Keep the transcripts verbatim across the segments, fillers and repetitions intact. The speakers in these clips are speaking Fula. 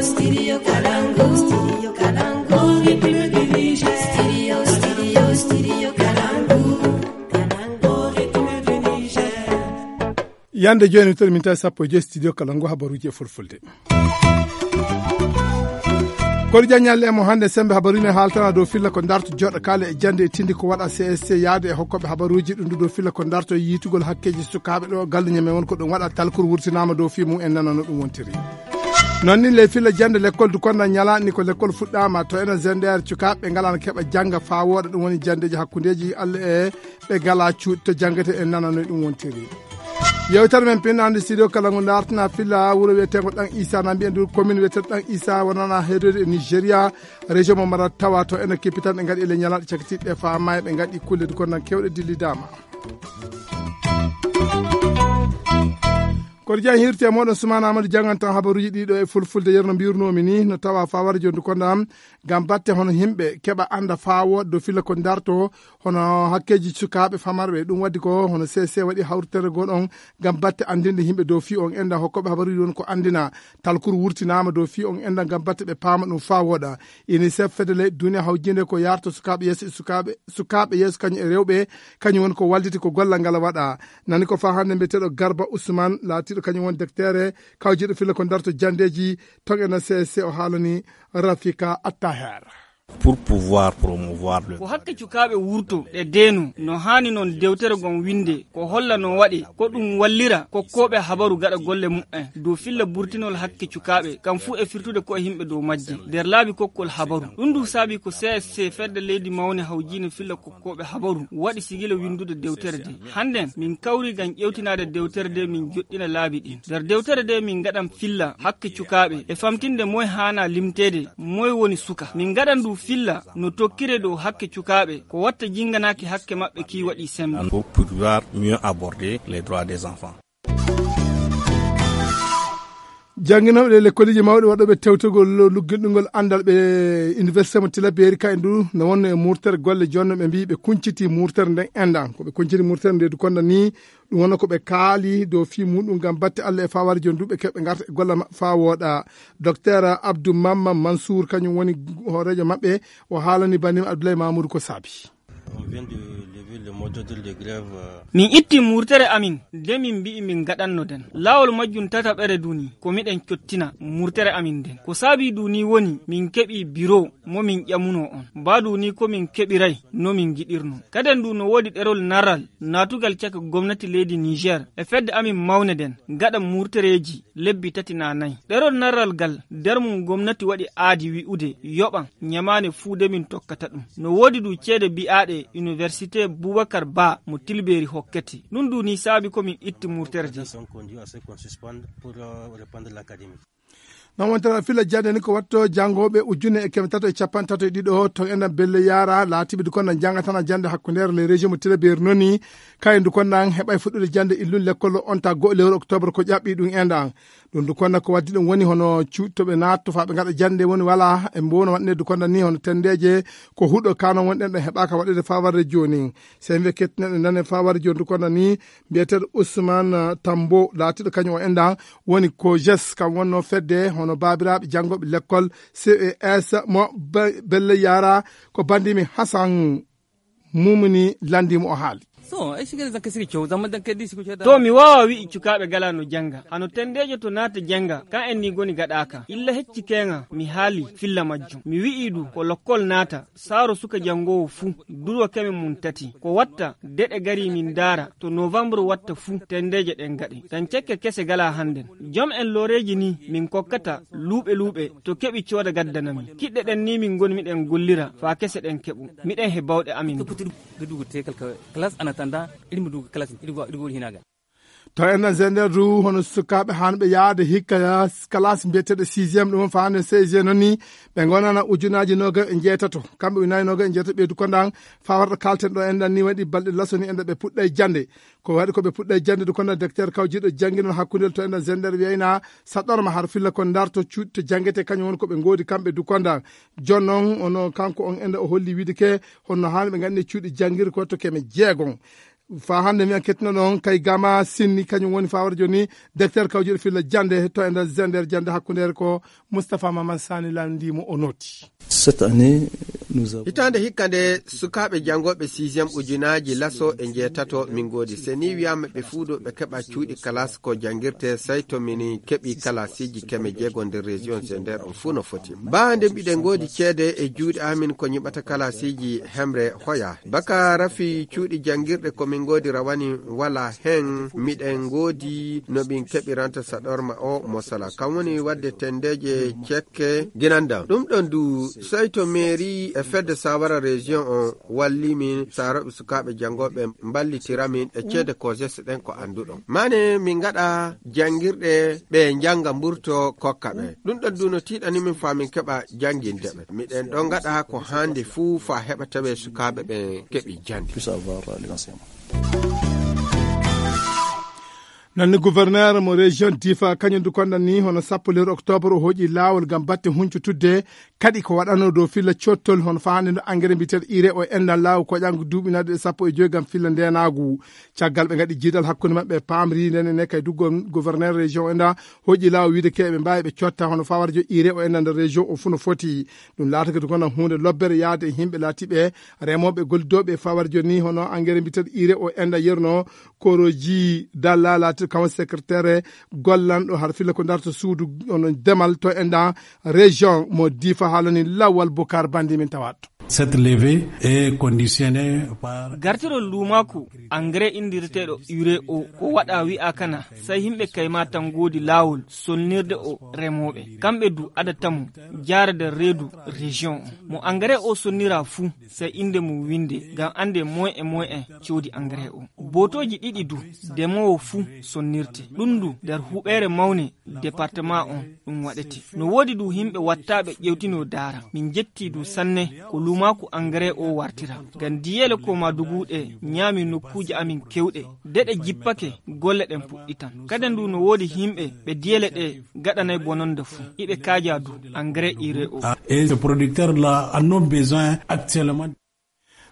Studio Kalangu, Studio Kalangu, Republic du Niger. Studio, Studio, Studio Kalangu, Kalangu, Republic du Niger. Yande jooni, to min tawi sappo e joy studio kala ngu habaruuji e fulfulde. Koɗo jan ñalle e mo hannde, sembe habaruuji ne haaltana dow filla ko darto joɗa kaale e jande e tindi ko waɗa C S C yaade e hokkoɓe habaruuji ɗum ɗo dow filla ko darto yiitugol hakkeeji sukaaɓe ɗo galle ñame won ko ɗum waɗa talkuru wurtinaama dow fii mum en nana no ɗum wontiri. Noon ni ley filla jande lekkol du konda ñala ni ko lekkol fuɗɗaama to ena zender cukaaɓe ngalana keɓa jannga faa wooɗa ɗum woni jandeeji hakkundeeji Allah e ɓe gala cuuɗi to janngete en nana no ɗum wontiri. Yewtere men pinnaande studio kala ngu dartina filla wuro wiyeteengo ɗan isa na mbiyen du commune wiyetee ɗan isa wonana heedoyde e nigeria région mo mara tawa to ena kippitan ɗe ngaɗi e le ñalaɗe cakitiɗe faa maayi ɓe ngaɗi kulle du kondan kewɗe dillidaama. Koto jeyan hirte e moɗon sumana amadou jangantan habaruji ɗiɗo e fulfulde yerno mbirnomi ni no tawa fawara jondu konda am ngam batte hono yimɓe keɓa anda faa wooɗa dow filla ko darto hono hakkeeji sukaaɓe famarɓe ɗum waddi ko hono C C waɗi hawritere goo ɗon ngam batte anndinde yimɓe dow fii on enda hokkooɓe habaruuji won ko anndina talkuru wurtinaama dow fii on enda ngam batte ɓe paama ɗum faa wooɗa. Unicef fedde leyɗe duniya hawjinde ko yarto sukaaɓe yeeso e sukaaɓe sukaaɓe yeeso kañum e rewɓe kañum woni ko walliti ko gollal ngal waɗa. Nani ko faa hannde mbiyeteeɗo Garba Ousmane laatiiɗo kañum won dektere kawjiiɗo filla ko darto janndeeji toŋ ena C S C o haalani Rafika Attaher. Pour pouvoir promouvoir le ko hakke cukaaɓe wurto ɗe deeno no haani noon dewtere gon winnde ko holla no waɗe ko ɗum wallira kokkooɓe habaru gaɗa golle muɓɓen dow filla burtinol hakke cukaaɓe kam fuu e firtude ko e yimɓe dow majje nder laabi kokkol habaru. Ɗum ndu saabi ko C S C fedde leydi mawne hawjiinde filla kokkooɓe habaru waɗi sigila winndude dewtere nde. Hannden min kawri ngam ƴeewtinaade dewtere nde min joɗɗina laabi ɗin. Nder dewtere nde min ngaɗan filla hakke cukaaɓe e famtinde moy haana limteede moy woni suka. Min ngaɗan ndu filla no tokkire dow hakke cukaaɓe ko watta jinnganaaki hakke maɓɓe kii waɗi semmbe. Pour pouvoir mieux aborder les droits des enfants. Jannginooɓe ɗe lekkoliji mawɗi waɗooɓe tewtogol lugginɗungol anndal ɓe université mo Tilaberi ka e ndu no wonno e murtere golle jonno ɓe mbii ɓe kunciti murtere nden endan ko ɓe kunciti murtere nde du konda ni ɗum wonno ko ɓe kaali dow fii muɗum ngam batte Allah e faware joni du ɓe keɓe ngarta e golle maɓɓe faa wooɗa. Docteur Abdou Mamma Mansour kañum woni hooreejo maɓɓe o haalani banima Abdoulaye Mamoudou ko saabi. Min itti murtere amin nde min mbi'i min ngaɗanno den. Laawol majjum tataɓere duni ko miɗen cottina murtere amin nden. Ko saabii duni woni min keɓii biro mo min ƴamunoo on. Baa duni ko min keɓiray no min ngiɗirnoo. Kaden du no woodi ɗerol naral naatugal caka gomnati leydi Niger e fedde amin mawne den gaɗa murtereeji lebbi tati naa nay. Ɗerol narral gal nder mum gomnati waɗi aadi wi'ude yoɓan ñamaane fuu de min tokkata ɗum. No woodi du ceede bi'aaɗe Université Boubacar Ba mo Tilbeeri hokkete. Ɗum du ni saabi ko min itti murtere de. Non wontata fila jande ni ko watto jangooɓe ujune e keme tato e capanɗe tato e ɗiɗo ton enɗan belle yaara laatiɓe du konɗan jangatana jande hakkundeere le région mo Tilbeeri noni kayen du konɗan heɓay fuɗɗude jande illun lekkol on ta go'o lewru octobre ko ƴaɓɓi ɗum enɗan. Ɗum du konɗan ko waddi ɗum woni hono cuuɗi to ɓe naatto faa ɓe ngaɗa jande woni wala e mbono waɗnde du konɗan ni hono tendeeje ko huɗo kanon wonɗen ɗo heɓaaka waɗede faa warde jooni. Sey mbiya kettinanɗe nane faa warde jooni du konɗan ni mbiyeteeɗo Ousmane Tambo laatiiɗo kañum o enɗan woni ko jes kam wonno fedde hono baabiraaɓe janngooɓe lekkol ces mo belle yara ko bandimi hasan mumini landimo o haali. To mi waawa wi'i cukaaɓe gala no jannga hano tendeejo to naata jannga kan en ni goni gaɗaaka illa hecci keŋa mi haali filla majjum mi wi'i du ko lokkol naata saaro suka janngoowo fuu durwa keme mum tati ko watta deɗe gari min ndaara to novembre watta fuu tendeeje ɗen gaɗe tan cekke kese gala hannden jom en looreeji ni min kokkata luuɓe luuɓe to keɓi cooda gaddana min kiɗɗe ɗen ni min ngoni miɗen gollira faa kese ɗen keɓu miɗen he bawɗe amin. To enɗan zender du hono sukaaɓe hanɓe yaade hikka kalasi mbiyeteeɗo sixième ɗum faande seizième noon ni ɓe gonana ujunaaji noga e jeetato kamɓe ujunaji noga e jeetato ɓeydu kondan faa warta kalten ɗo enɗan ni waɗi balɗe laso ni enɗan ɓe puɗɗay jande ko waɗi ko ɓe puɗɗay jande du kondan docteur kawjiɗo jannginol hakkundel to enɗan zender wiyayna saɗɗorma har filla ko darto cuuɗi to janngete kañum woni ko ɓe ngoodi kamɓe du kondan jon noon ono kanko on enɗan o holli wiide ke honno haani ɓe nganndi cuuɗi janngirde ko to keme jeegon Faa hannde mi an kettino ɗon kay gama sinni kañum woni faa wara jooni. Docteur kawjuɗo filla jannde to e nder zender jannde hakkundeere ko Moustapha Maman Sani lanndii mo o nooti. Hitaande hikka nde sukaaɓe janngooɓe sixième ujunaaji laso e njeetato min ngoodi. Se ni wiyaama ɓe fuuɗo ɓe keɓa cuuɗi kalaas ko janngirte, sey to min keɓi kalaasiiji keme jeego nder région zender on fuu no foti. Baa nde mbiɗen ngoodi ceede e juuɗe amin ko ñiɓata kalaasiiji hemre hoya. Baka rafi cuuɗi janngirɗe ko min ngoodi rawani wala hen miɗen ngoodi no min keɓiranta saɗorma o mosala. Kam woni waɗde tendeeje cekke ginanda. Ɗum ɗon du sey to mairie e fedde sawara région on walli min saroɓe sukaaɓe janngooɓe mballitira min e ceede kosese ɗen ko annduɗon. Mane min ngaɗa janngirɗe ɓe njannga mburto kokka ɓe. Ɗum ɗon du no tiiɗani min faa min keɓa jannginde ɓe. Miɗen ɗon ngaɗa ko haandi fuu faa heɓa tawe sukaaɓe ɓen keɓi jannde. Nanni gouverneur mo région Difa kañum du konɗan ni hono sappo lewru octobre o hoƴi laawol ngam batte huncutudde kaɗi ko waɗanoo dow filla cottol hono faande no engrais mbiyeteeɗo ire o enɗan laaw ko ƴangu duuɓi naɗi e sappo e joyi ngam filla ndeenaagu. Caggal ɓe ngaɗi jiidal hakkunde maɓɓe paamri nden ene kay du gouverneur région o enɗan hoƴi laaw wiide ke ɓe mbaawi ɓe cotta hono faa wara jooni ire o enɗan nder région o fuu no foti. Ɗum laatake du kono huunde lobbere yaade e yimɓe laatiiɓe remooɓe gollidooɓe faa wara jooni hono engrais mbiyeteeɗo ire o enɗan yerno koroji dalla laatiiɗo kam secrétaire gollanɗo har filla ko darto suudu ono demal to enɗan région mo Difa haalani Lawal Bukar Bandi min tawaat. Cette levée est conditionnée par gartirol luumaaku engrais inndireteeɗo ure o o waɗa wi'a kana sey yimɓe kayma tan ngoodi laawol sonnirde o remooɓe kamɓe du ada tamu jaarde reedu région o mo engrais o sonnira fuu sey innde mum winnde ngam annde moyen e moyen coodi engrais o bootooji ɗiɗi du demoowo fuu sonnirte ɗum du nder huɓeere mawne département on ɗum waɗete. No woodi du yimɓe wattaaɓe ƴewtino daara. Min njettii du sanne ko luumaaku engrais o wartira. Ngam diyeele ko ma duguuɗe ñaami nokkuuje amin kewɗe. De ɗe jippake golle ɗen puɗɗitan. Kadi du no woodi yimɓe ɓe diyeele ɗe gaɗanay bononde fuu. Iɓe kaaja du engrais ire o. Et ce producteur là en ont besoin actuellement.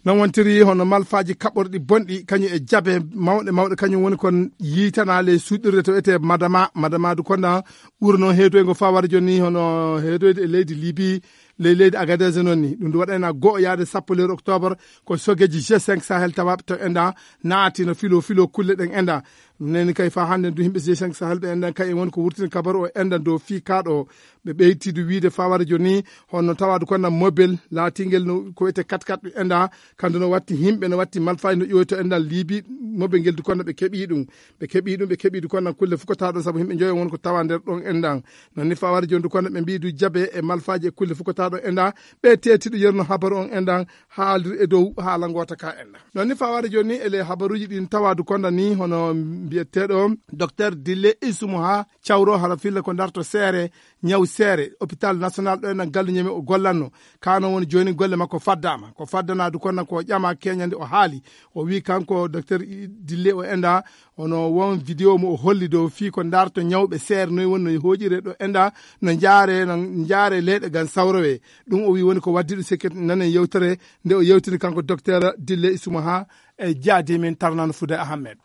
Non wontiri hono malfaaji kaɓorɗi bonɗi kañum e jabe mawɗe mawɗe kañum woni kon yiitana ley suuɗirde to etee madama madama du konda ɓuri noon heedoyngo faa wara jooni hono heedoyde e leydi libi ley leydi agadez noon ni ɗum du waɗayna go'o yaade sappo lewru octobre ko sogeji g cinq sahel tawaɓe to enda naati no filo filo kulle ɗen enda neni kay faa hannde du yimɓe g cinq sahel ɓe enda kay en woni ko wurtini kabaru o enda dow fii kaaɗo ɓe ɓeyti du wiide faa wara jooni hono tawa du konda mobile laatingel no ko wiyete kat kat ɓe enda kandu no watti yimɓe no watti malfaaji no ƴoyto endal liibi mobile ngel du konda ɓe keɓi ɗum ɓe keɓi ɗum ɓe keɓi du konda kulle fukotaaɗo sabu yimɓe njoyo won ko tawa nder ɗon endan non ni faa wara jooni du konda ɓe mbi du jabe e malfaaji e kulle fukotaaɗo enda ɓe teeti du yerno habaru on endan haaldir e dow haala ngoota ka endan non ni faa wara jooni ele habaruuji ɗin tawa du konda ni hono mbiyeteeɗo docteur dille isumo ha cawro hara filla ko darto seere ñaw seere hôpital national ɗo ena galluñami o gollanno kano woni joni golle makko faddama ko faddana du konnan ko ƴama keñande o haali o wi kanko docteur dille o enda hono won vidéo mo o holli dow fii ko darto ñawɓe seere noy woni no hoƴire ɗo enda no jaare no jaare leyɗe gan sawrowe ɗum o wi woni ko waddi ɗum sekkit nanen yewtere nde o yewtini kanko docteur dille isuma ha e jaadi min tarnano fude ahmed.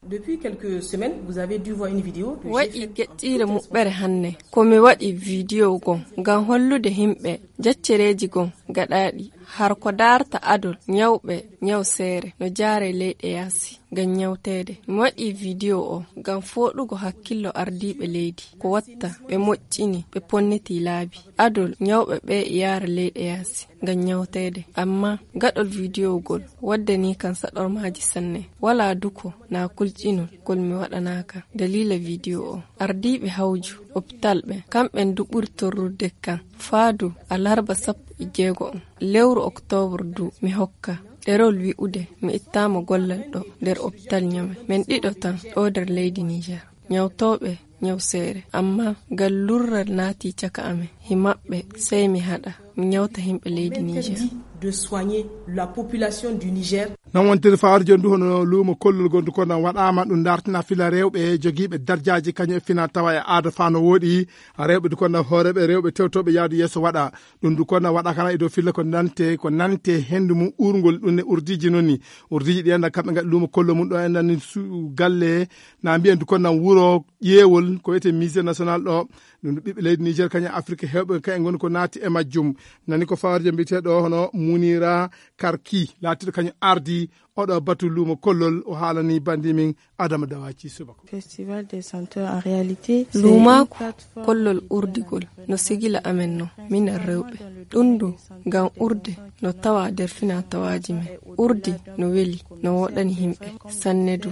Depuis quelques semaines, vous avez dû voir une vidéo que j'ai waɗi faite en geɗɗiire toute muɓɓere hannde ko mi waɗi vidiyo gon ngam hollude yimɓe jaccereeji gon gaɗaaɗi har ko daarta adol ñawɓe ñaw seere no jaare leyɗe yaasi ngam ñawteede. Mi waɗi vidiyo o ngam fooɗugo hakkillo ardiiɓe leydi ko watta ɓe moƴƴini ɓe ponniti laabi adol ñawɓe ɓe yaara leyɗe yaasi ngam ñawteede. Amma gaɗol vidiyo gol waddani kan saɗormaaji sanne. Walaa duko naa kulƴinol gol mi waɗanaaka daliila vidiyo o. Ardiiɓe hawju opitaal ɓen kamɓen du ɓuri torrude kan. Faadu alarba sappo e jeego on lewru oktoobar du mi hokka ɗerol wi'ude mi ittaama gollal ɗo nder opitaal Ñame. Men ɗiɗo tan ɗo nder leydi Niijeer. Ñawtooɓe ñaw seere amma ngal lurral naati caka amen. Hi maɓɓe sey mi haɗa mi ñawta yimɓe leydi Niijeer. de soigner la population du Niger. Nan wontiri fawar jondu hono luumo kollol gondu ko nan waɗaama ɗum dartina fila rewɓe jogiiɓe darjaaji kañum e fina tawa e aada faa no wooɗi. Rewɓe du ko nan hooreɓe rewɓe tewtoɓe yaadu yeeso waɗa ɗum du ko nan waɗa kana e dow filla ko nante ko nante hendu mum urngol ɗum ne urdiji noon ni. Urdiji ɗi enda kamɓe ngaɗi luumo kollo mum ɗo enda ni su galle na mbiyen du ko nan wuro ƴeewol ko wiyete musée national ɗo. Ɗum du ɓiɓɓe leydi Niger kañum e Afrique hewɓe kañum ngoni ko naati e majjum. Nani ko fawarjo mbiyeteɗo hono Munira Karki laatiɗo kañum ardi oɗo batu luumo kollol o haalani bandi min Adama Dawaci subako. Festival des chanteurs en réalité. Luumaaku kollol urdigol no sigila amen no minen rewɓe. Ɗum du ngam urde no tawa nder fina tawaaji men. Urdi no weli no woɗani yimɓe sanne du.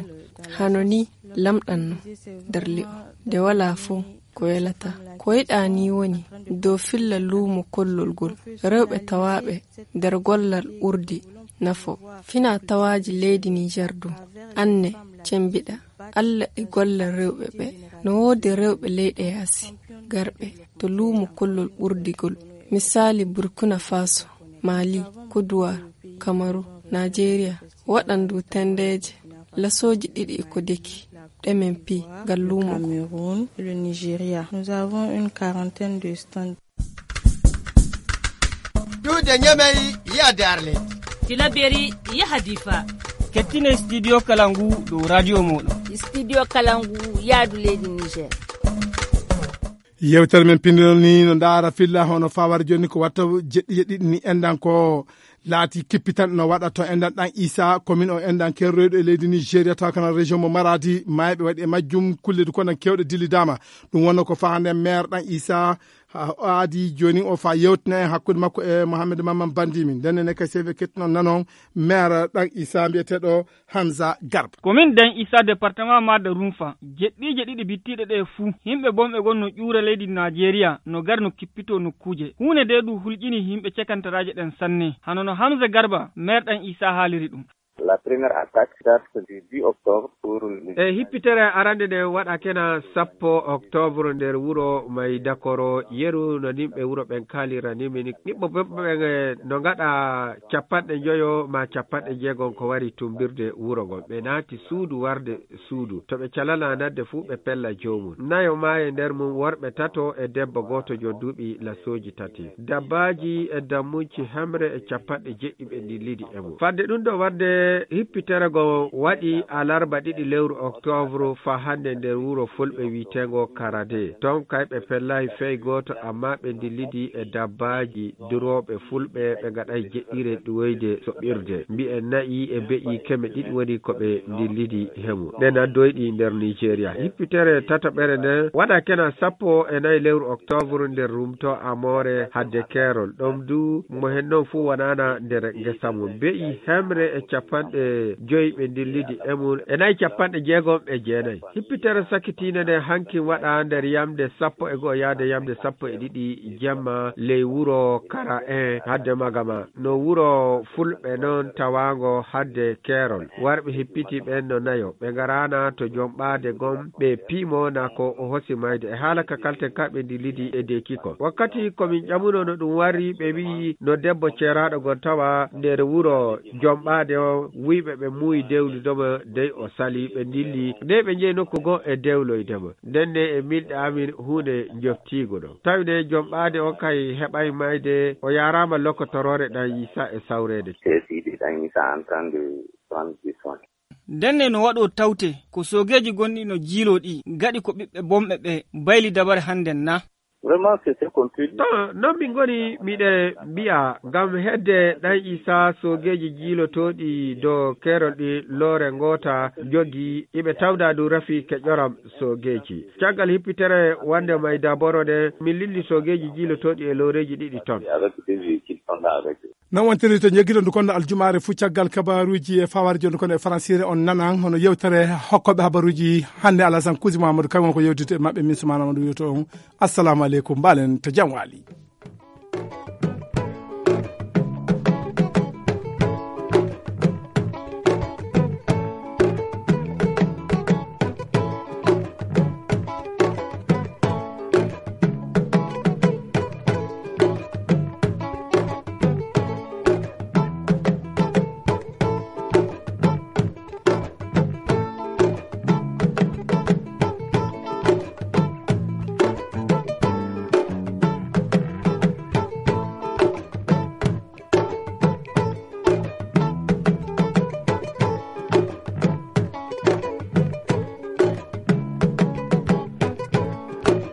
Hano ni lamɗan no nder li'o nde walaa fof ko welata. Ko yiɗaa ni woni dow filla luumo kollol ngol rewɓe tawaaɓe nder gollal urdi nafo. Fina tawaaji leydi Niger du anne cembiɗa. Alla e gollal rewɓe ɓe no woodi rewɓe leyɗe yaasi garɓe to luumo kollol urdigol. Misaali Burkina Faso, Mali, Kodowar, Kamaru, Najeriya waɗan du tendeeje lasooji ɗiɗi e ko deki ɗe men pi ngal luumo. Cameroun, le Nigeria. Nous avons une quarantaine de stands. Duude ñamey yaade Arlet. Tilaberi yaha Difa. Kettine studio kala ngu dow radio mooɗon. Studio kala ngu yaadu leydi Niger. Yewtere men pinndinol ni no ndaara filla hono fawar joni ko watta jeɗɗi jeɗɗi ni endan ko laati kippitan no waɗa to endan ɗan Isa commune o endan kerroyɗo e leydi Nigeria tawa kana région mo Maradi mayɓe waɗi e majjum kulle du kono kewɗe dillidama. Ɗum wonno ko fahande maire ɗan Isa aadi joni o fa yewtina en hakkunde makko e Mohamed Mamman Bandimi. Ndenne ne kay seve kettinon nanon maire ɗan Isa mbiyeteɗo Hamza Garba. Ko min Dan Isa département Mada Rumfa. Jeɗɗiije ɗiɗi bittiiɗe ɗe fuu, yimɓe bonɓe gon no ƴuura leydi Najeriya, no gar no kippitoo nokkuuje. Huunde ndee ɗum hulƴini yimɓe cekantaraaje ɗen sanne. Hano no Hamza Garba, maire Dan Isa haaliri ɗum. La première attaque date du dix octobre pour le E hippitere arande nde waɗa kena sappo octobre nder wuro Maydakoro, yeru no nimɓe wuro ɓen kaalira ni min. Niɓɓo ɓen no ngaɗa capanɗe njoyo ma capanɗe jeegom ko wari tumbirde wuro ngon. Ɓe naati suudu warde suudu. To ɓe calana nadde fuu ɓe pella joomum. Nayo maayi nder mum worɓe tato e debbo gooto jon duuɓi lasooji tati. Dabbaaji e dammunci hemre e capanɗe jeɗɗi ɓe ndillidi e mum. Fadde ɗum ɗo wadde hippitere go waɗi alarba ɗiɗi lewru octobre fa hannde nder wuro fulɓe wi'eteengo Karade. Ton kay ɓe pellaay fey gooto amma ɓe ndillidi e dabbaaji durooɓe fulɓe ɓe ngaɗay jeɗɗire ɗuwoyde soɓirde. Mbi'en na'i e be'i keme ɗiɗi woni ko ɓe ndillidi hemu. Ɗen addoyɗi nder Nigeria. Hippitere tataɓere nden waɗa kena sappo e nayi lewru octobre nder rumto Amore hadde keerol. Ɗon du mo hen non fuu wonana nder ngesa mum. Be'i hemre e capanɗe joyi ɓe ndillidi e mum e nayi capanɗe jeegom e jeenayi. Hippitere sakkitiinde nde hankin waɗa nder yamde sappo e go'o yaade yamde sappo e ɗiɗi jemma ley wuro Kara en hadde Magama. No wuro fulɓe non tawaango hadde keerol. Warɓe hippiti ɓen no nayo. Ɓe ngaraana to jomɓaade gom ɓe piimo na ko o hosi mayde. E haala ka kalten ka ɓe ndillidi e deeki kon. Wakkati ko min ƴamuno no ɗum warri ɓe wi'i no debbo ceeraaɗo gon tawa nder wuro jomɓaade o wi'ɓe ɓe muuyi dewlude mo dey o sali ɓe ndilli. Dey ɓe njehi nokku goo e dewloyde mo. Nden ne e milɗe amin huunde njoftiigo ɗo. Tawi ne jomɓaade on kay heɓay mayde o yaaraama lokotoroore ɗan Yiisa e sawreede. Seesiiɗi ɗan Yiisa en train de prendre du soin. Nden ne no waɗoo tawte ko soogeeji gonɗi no jiiloo ɗi gaɗi ko ɓiɓɓe bonɓe ɓe bayli dabare hannden na? Vraiment, c'est ce qu'on peut dire. Ton, non min ngoni miɗe mbi'a ngam hedde ɗan Isa soogeeji jiilotooɗi dow keerol ɗi loore ngoota jogi iɓe tawda du rafi ke ƴoram soogeeji. Caggal hippitere wande may daboro nde min lilli soogeeji jiilotooɗi e looreeji ɗiɗi ton. Avec des véhicules, on a avec Non wontiri to jeggiɗon ndu kono aljumaare fuu caggal kabaruuji e fawareji on kono e faransiire on nanan hono yewtere hokkooɓe habaruuji hannde Alasan Kusi Mamadou kañum won ko yewtidde e maɓɓe min Soumana Amadou wiyoto on assalamu aleykum mbaalen to jam waali.